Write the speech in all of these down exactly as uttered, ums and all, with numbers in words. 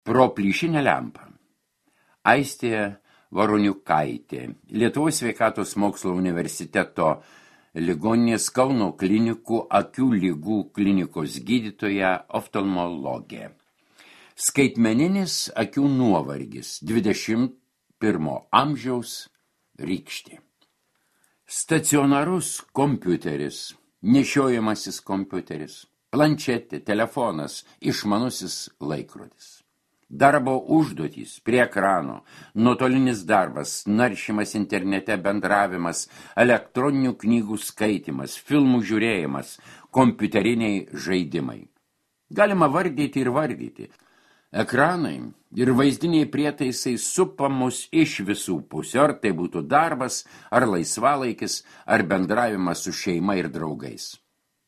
Pro plyšinę lempą. Aistė Varoniukaitė, Lietuvos sveikatos mokslo universiteto ligoninės Kauno klinikų akių lygų klinikos gydytoja oftalmologė. Skaitmeninis akių nuovargis dvidešimt pirmo amžiaus rykštė. Stacionarus kompiuteris, nešiojamasis kompiuteris, planšetė, telefonas, išmanusis laikrodis. Darbo užduotys prie ekrano, nuotolinis darbas, naršymas internete, bendravimas, elektroninių knygų skaitimas, filmų žiūrėjimas, kompiuteriniai žaidimai. Galima vardyti ir vardyti. Ekranai ir vaizdiniai prietaisai supa mus iš visų pusių, ar tai būtų darbas, ar laisvalaikis, ar bendravimas su šeima ir draugais.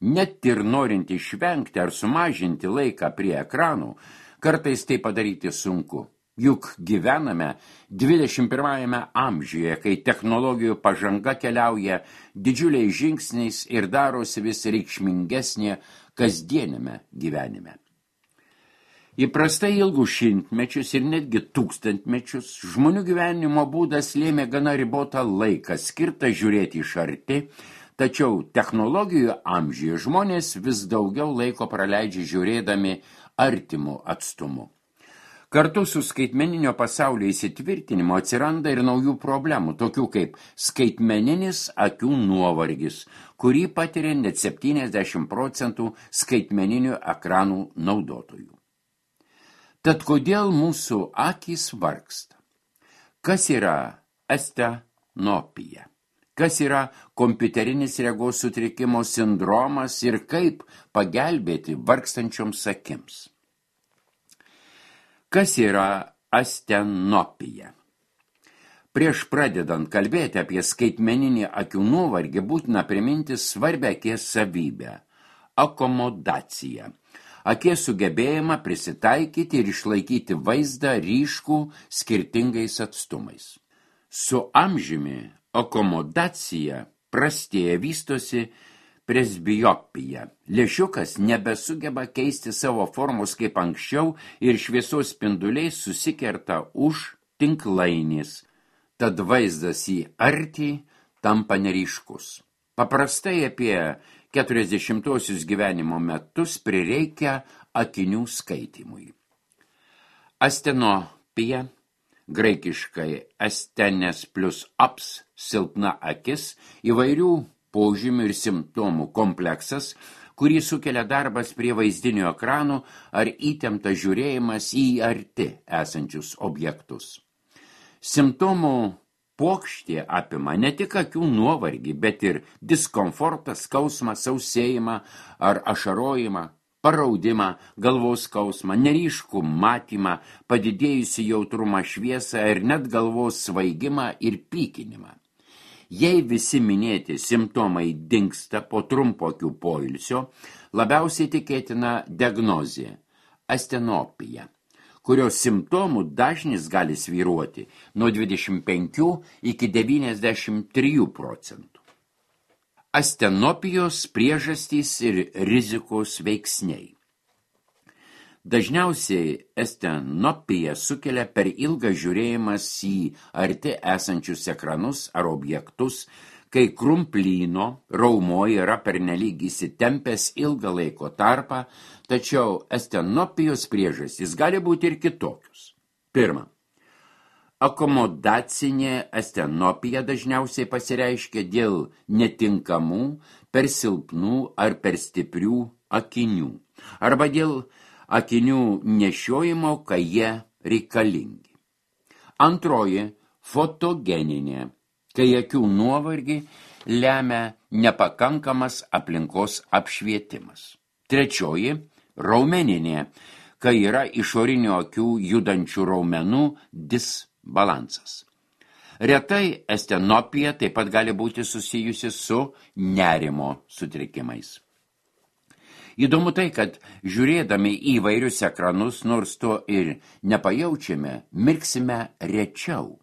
Net ir norint išvengti ar sumažinti laiką prie ekranų, kartais tai padaryti sunku, juk gyvename dvidešimt pirmajame amžiuje, kai technologijų pažanga keliauja didžiuliais žingsniais ir darosi vis reikšmingesnė kasdieniame gyvenime. Įprastai ilgus šimtmečius ir netgi tūkstantmečius žmonių gyvenimo būdas lėmė gana ribotą laiką skirtą žiūrėti iš arti, tačiau technologijų amžiuje žmonės vis daugiau laiko praleidžia žiūrėdami artimų atstumu. Kartu su skaitmeninio pasaulio įsitvirtinimu atsiranda ir naujų problemų, tokių kaip skaitmeninis akių nuovargis, kurį patiria net septyniasdešimt procentų skaitmeninių ekranų naudotojų. Tad kodėl mūsų akys vargsta? Kas yra astenopija? Kas yra kompiuterinis regos sutrikimo sindromas ir kaip pagelbėti vargstančioms akims? Kas yra astenopija? Prieš pradedant kalbėti apie skaitmeninį akių nuovargį, būtina priminti svarbią akies savybę – akomodaciją. Akies sugebėjimą prisitaikyti ir išlaikyti vaizdą ryškų skirtingais atstumais. Su amžiumi akomodacija prastėja, vystosi presbiopija. Lęšiukas nebesugeba keisti savo formos kaip anksčiau ir šviesos spinduliai susikerta už tinklainės, tad vaizdas į artį tampa neryškus. Paprastai apie keturiasdešimtuosius gyvenimo metus prireikia akinių skaitymui. Astenopija, graikiškai astenes plus aps, silpna akis, įvairių požymių ir simptomų kompleksas, kurį sukelia darbas prie vaizdinio ekranų ar įtemptas žiūrėjimas į arti esančius objektus. Simptomų puokštė apima ne tik akių nuovargį, bet ir diskomfortą, skausmą, sausėjimą ar ašarojimą, paraudimą, galvos skausmą, neryškų matymą, padidėjusi jautrumą šviesą ir net galvos svaigimą ir pykinimą. Jei visi minėti simptomai dingsta po trumpo akių poilsio, labiausiai tikėtina diagnozė – astenopija, kurios simptomų dažnis gali svyruoti nuo dvidešimt penkių iki devyniasdešimt trijų procentų. Astenopijos priežastys ir rizikos veiksniai. Dažniausiai astenopija sukelia per ilgą žiūrėjimas į arti esančius ekranus ar objektus, kai krumplyno raumo yra pernelyg įsitempęs ilgą laiko tarpą, tačiau astenopijos priežastys gali būti ir kitokius. Pirma, akomodacinė astenopija dažniausiai pasireiškia dėl netinkamų, per silpnų ar per stiprių akinių, arba dėl akinių nešiojimo, kai jie reikalingi. Antroji, fotogeninė, kai akių nuovargį lemia nepakankamas aplinkos apšvietimas. Trečioji, raumeninė, kai yra išorinių akių judančių raumenų disbalansas. Retai astenopija taip pat gali būti susijusi su nerimo sutrikimais. Įdomu tai, kad žiūrėdami į įvairius ekranus, nors to ir nepajaučiame, mirksime rečiau.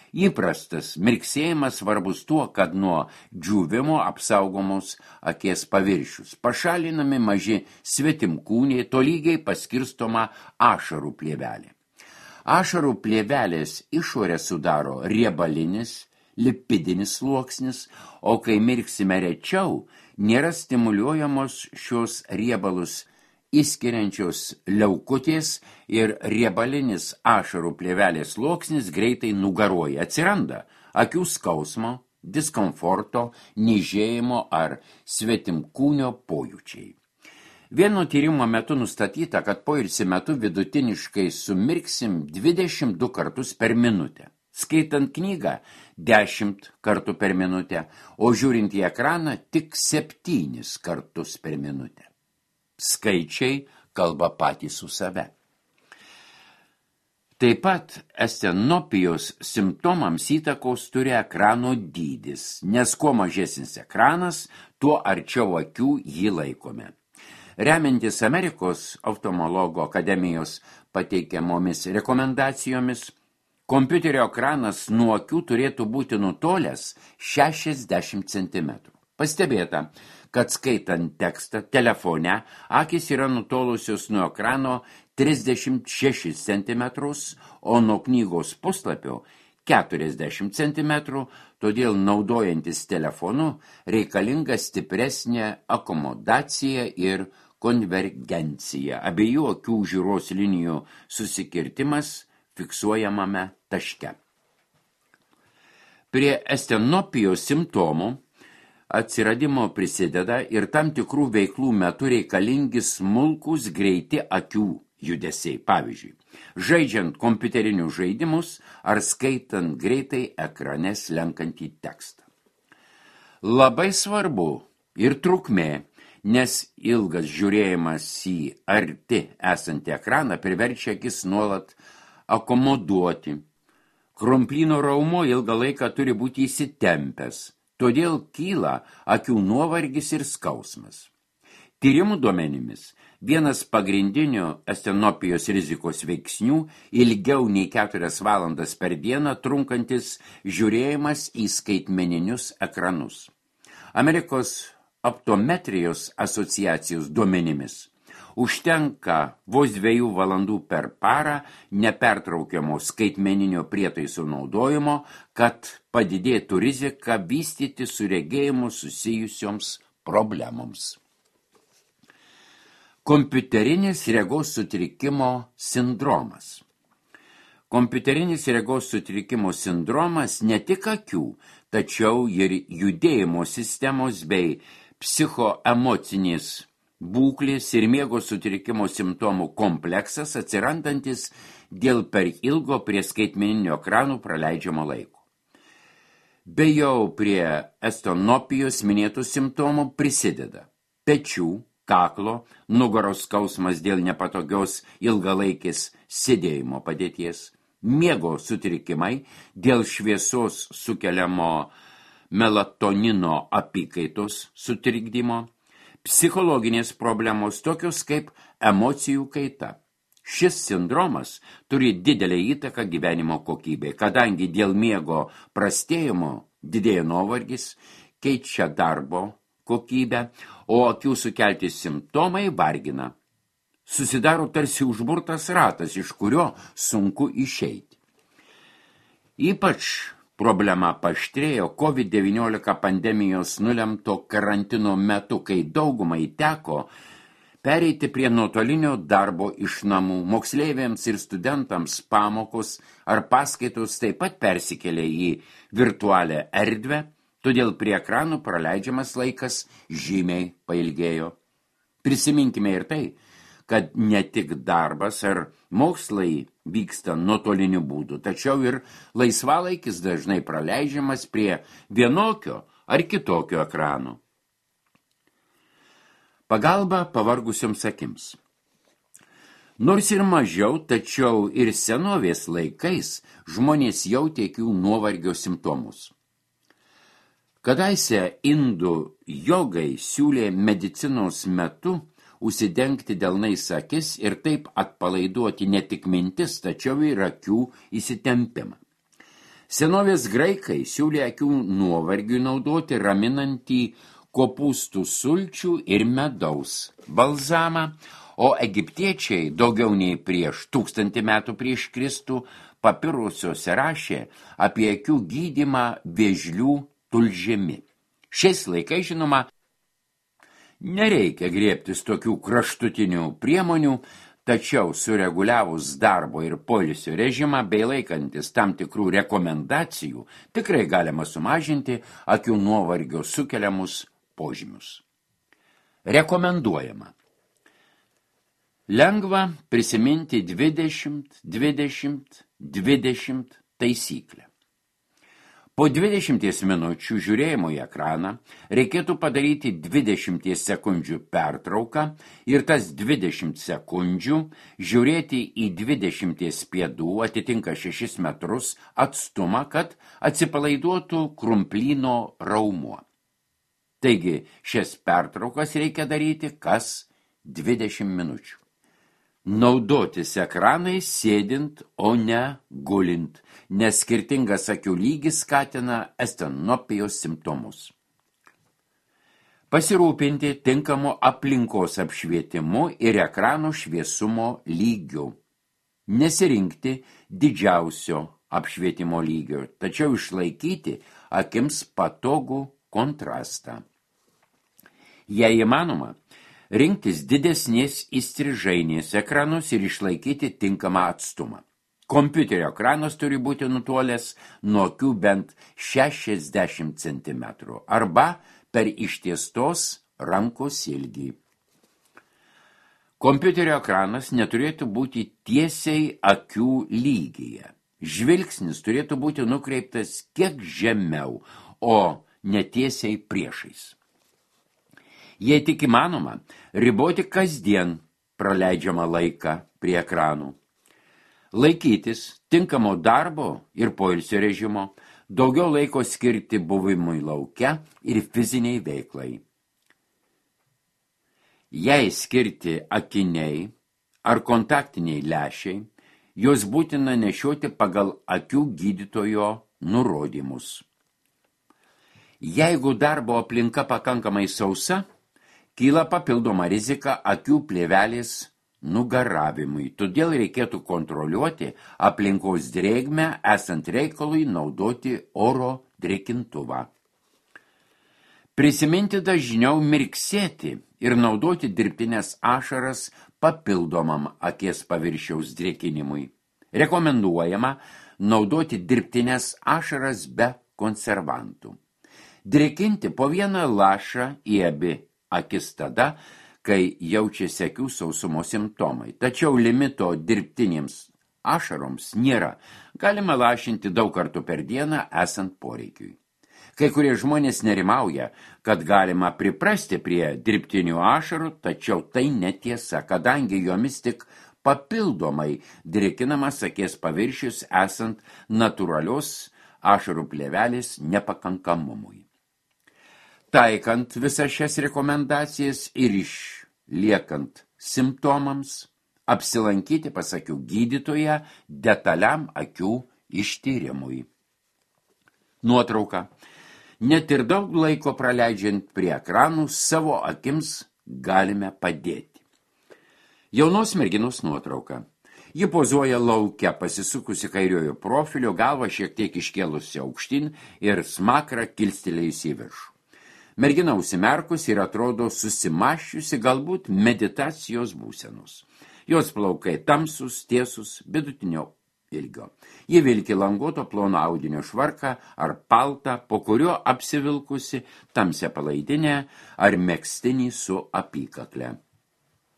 Įprastas mirksėjimas svarbus tuo, kad nuo džiūvimo apsaugomos akies paviršius. Pašalinami maži svetimkūniai, tolygiai paskirstoma ašarų plėvelė. Ašarų plėvelės išorę sudaro riebalinis, lipidinis sluoksnis, o kai mirksime rečiau, nėra stimuliuojamos šios riebalus įskiriančios leukutės ir riebalinis ašarų plėvelės sluoksnis greitai nugaruoja. Atsiranda akių skausmo, diskomforto, niežėjimo ar svetimkūnio pojūčiai. Vieno tyrimo metu nustatyta, kad poilsio metu vidutiniškai sumirksim dvidešimt du kartus per minutę. Skaitant knygą dešimt kartų per minutę, o žiūrint į ekraną tik septynis kartus per minutę. Skaičiai kalba patys su save. Taip pat estenopijos simptomams įtakos turi ekrano dydis, nes kuo mažesnis ekranas, tuo arčiau akių jį laikome. Remiantis Amerikos oftalmologų akademijos pateikiamomis rekomendacijomis, kompiuterio ekranas nuo akių turėtų būti nutolęs šešiasdešimt centimetrų. Pastebėta, kad skaitant tekstą telefone, akys yra nutolusios nuo ekrano trisdešimt šešis centimetrus, o nuo knygos puslapio keturiasdešimt centimetrų, todėl naudojantis telefonu reikalinga stipresnė akomodacija ir konvergencija. Abiejų akių žiūros linijų susikirtimas fiksuojamame taške. Prie estenopijos simptomų atsiradimo prisideda ir tam tikrų veiklų metu reikalingi smulkūs greiti akių judesiai. Pavyzdžiui, žaidžiant kompiuterinius žaidimus ar skaitant greitai ekrane slenkantį tekstą. Labai svarbu ir trukmė, nes ilgas žiūrėjimas į arti esantį ekraną priverčia akis nuolat akomoduoti. Kromplyno raumuo ilgą laiką turi būti įsitempęs, todėl kyla akių nuovargis ir skausmas. Tyrimų duomenimis vienas pagrindinių estenopijos rizikos veiksnių ilgiau nei keturias valandas per dieną trunkantis žiūrėjimas į skaitmeninius ekranus. Amerikos optometrijos asociacijos duomenimis užtenka vos dviejų valandų per parą nepertraukiamo skaitmeninio prietaiso naudojimo, kad padidėtų rizika vystyti su regėjimu susijusioms problemoms. Kompiuterinis regos sutrikimo sindromas. Kompiuterinis regos sutrikimo sindromas ne tik akių, tačiau ir judėjimo sistemos bei psichoemocinės būklės ir miego sutrikimo simptomų kompleksas atsirandantis dėl per ilgo prie skaitmeninio ekranų praleidžiamo laiko. Be jau prie estenopijos minėtų simptomų prisideda pečių, kaklo, nugaros skausmas dėl nepatogios ilgalaikės sėdėjimo padėties, miego sutrikimai dėl šviesos sukeliamo melatonino apykaitos sutrikdymo, psichologinės problemos tokios kaip emocijų kaita. Šis sindromas turi didelę įtaką gyvenimo kokybei, kadangi dėl miego prastėjimo didėja nuovargis, keičia darbo kokybę, o akių sukelti simptomai vargina. Susidaro tarsi užburtas ratas, iš kurio sunku išeiti. Ypač problema paaštrėjo kovid devyniolika pandemijos nulemto karantino metu, kai daugumai teko pereiti prie nuotolinio darbo iš namų. Moksleiviams ir studentams pamokos ar paskaitos taip pat persikėlė į virtualią erdvę, todėl prie ekranų praleidžiamas laikas žymiai pailgėjo. Prisiminkime ir tai, kad ne tik darbas ar mokslai vyksta nuotoliniu būdu, tačiau ir laisvalaikis dažnai praleidžiamas prie vienokio ar kitokio ekrano. Pagalba pavargusioms akims. Nors ir mažiau, tačiau ir senovės laikais žmonės jautė akių nuovargio simptomus. Kadaise indų jogai siūlė medicinos metu užsidengti delnais akis ir taip atpalaiduoti ne tik mintis, tačiau ir akių įsitempimą. Senovės graikai siūlė akių nuovargiui naudoti raminantį kopūstų sulčių ir medaus balzamą, o egiptiečiai daugiau nei prieš tūkstantį metų prieš Kristų papirusiuose rašė apie akių gydymą vėžlių tulžimi. Šiais laikais, žinoma, nereikia griebtis tokių kraštutinių priemonių, tačiau sureguliavus darbo ir poilsio režimą bei laikantis tam tikrų rekomendacijų, tikrai galima sumažinti akių nuovargio sukeliamus požymius. Rekomenduojama. Lengva prisiminti dvidešimt dvidešimt dvidešimt taisyklę. Po dvidešimties minučių žiūrėjimo į ekraną reikėtų padaryti dvidešimties sekundžių pertrauką ir tas dvidešimt sekundžių žiūrėti į dvidešimties pėdų, atitinka šešis metrus atstumą, kad atsipalaiduotų krumplyno raumuo. Taigi šias pertraukas reikia daryti kas dvidešimt minučių. Naudotis ekranais sėdint, o ne gulint, nes skirtingas akių lygis skatina estenopijos simptomus. Pasirūpinti tinkamu aplinkos apšvietimu ir ekranų šviesumo lygiu. Nesirinkti didžiausio apšvietimo lygio, tačiau išlaikyti akims patogų kontrastą. Jei įmanoma, rinktis didesnės įstrižainės ekranus ir išlaikyti tinkamą atstumą. Kompiuterio ekranas turi būti nutolęs nuo akių bent šešiasdešimt centimetrų arba per ištiestos rankos ilgį. Kompiuterio ekranas neturėtų būti tiesiai akių lygyje. Žvilgsnis turėtų būti nukreiptas kiek žemiau, o netiesiai priešais. Jei tik įmanoma, riboti kasdien praleidžiamą laiką prie ekranų. Laikytis tinkamo darbo ir poilsio režimo, daugiau laiko skirti buvimui lauke ir fiziniai veiklai. Jei skirti akiniai ar kontaktiniai lęšiai, juos būtina nešioti pagal akių gydytojo nurodymus. Jeigu darbo aplinka pakankamai sausa, kyla papildoma rizika akių plėvelės nugaravimui, todėl reikėtų kontroliuoti aplinkos drėgmę, esant reikalui naudoti oro drėkintuvą. Prisiminti dažniau mirksėti ir naudoti dirbtines ašaras papildomam akies paviršiaus drėkinimui. Rekomenduojama naudoti dirbtines ašaras be konservantų. Drėkinti po vieną lašą į abi akis tada, kai jaučiasi akių sausumo simptomai. Tačiau limito dirbtinėms ašaroms nėra. Galima lašinti daug kartų per dieną esant poreikiui. Kai kurie žmonės nerimauja, kad galima priprasti prie dirbtinių ašarų, tačiau tai netiesa, kadangi jomis tik papildomai drėkinamas akies paviršius esant natūralios ašarų plėvelės nepakankamumui. Taikant visas šias rekomendacijas ir išliekant simptomams, apsilankyti pas akių gydytoją detaliam akių ištyrimui. Nuotrauka. Net ir daug laiko praleidžiant prie ekranų, savo akims galime padėti. Jaunos merginos nuotrauka. Ji pozuoja lauke, pasisukusi kairiojo profilio, galvą šiek tiek iškėlusi aukštyn ir smakrą kilstelėjusi į viršų. Mergina užsimerkus ir atrodo susimaščiusi galbūt meditacijos būsenos. Jos plaukai tamsus, tiesus, vidutinio ilgio. Ji vilki languoto plono audinio švarką ar paltą, po kurio apsivilkusi tamsią palaidinę ar megztinį su apykakle.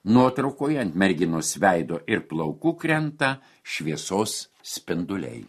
Nuotraukoje ant merginos veido ir plaukų krenta šviesos spinduliai.